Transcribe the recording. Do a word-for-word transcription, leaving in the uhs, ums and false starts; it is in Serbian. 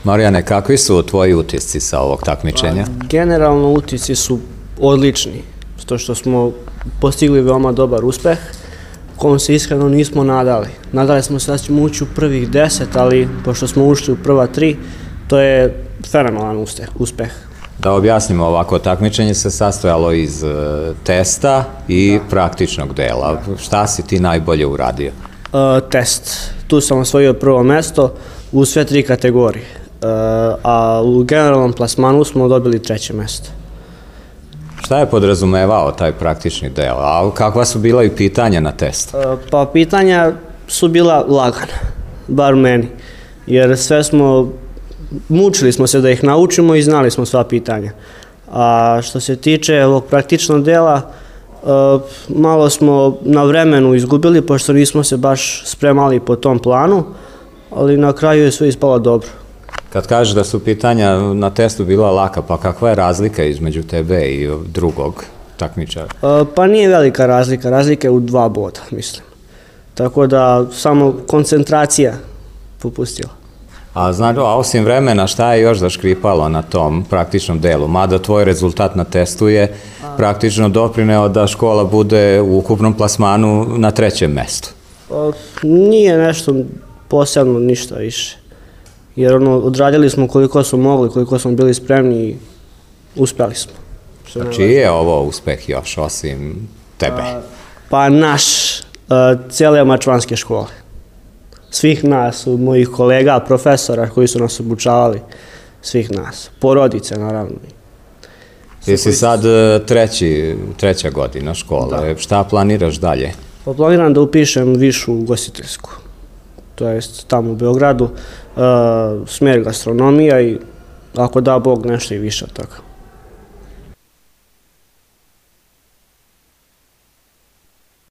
Marijane, kakvi su tvoji utisci sa ovog takmičenja? Generalno utisci su odlični, zato što smo postigli veoma dobar uspeh, kom se iskreno nismo nadali. Nadali smo se da ćemo ući u prvih deset, ali pošto smo ušli u prva tri, to je fenomenalan uspeh. Da objasnimo ovako, takmičenje se sastojalo iz testa i praktičnog dela. Šta si ti najbolje uradio? Test. Tu sam osvojio prvo mesto u sve tri kategorije, a u generalnom plasmanu smo dobili treće mesto. Šta je podrazumevao taj praktični deo? A kakva su bila i pitanja na testu? Pa pitanja su bila lagana, bar meni, jer sve smo, mučili smo se da ih naučimo i znali smo sva pitanja. A što se tiče ovog praktičnog dela, malo smo na vremenu izgubili, pošto nismo se baš spremali po tom planu, ali na kraju je sve ispalo dobro. Kad kažeš da su pitanja na testu bila laka, pa kakva je razlika između tebe i drugog takmičara? Pa nije velika razlika, razlika je u dva boda, mislim. Tako da samo koncentracija popustila. A znači, a osim vremena, šta je još zaškripalo na tom praktičnom delu? Mada tvoj rezultat na testu je praktično doprineo da škola bude u ukupnom plasmanu na trećem mestu. Nije nešto posebno, ništa više. Jer ono, odradili smo koliko smo mogli, koliko smo bili spremni i uspeli smo. A čiji je ovo uspeh još, osim tebe? Pa naš, cijele mačvanske škole. Svih nas, mojih kolega, profesora koji su nas obučavali, svih nas. Porodice, naravno. Ti si sad treći, treća godina škole. Šta planiraš dalje? Pa planiram da upišem višu ugostiteljsku. To jest tamo u Beogradu, smjer gastronomija i ako da Bog nešto i više od toga.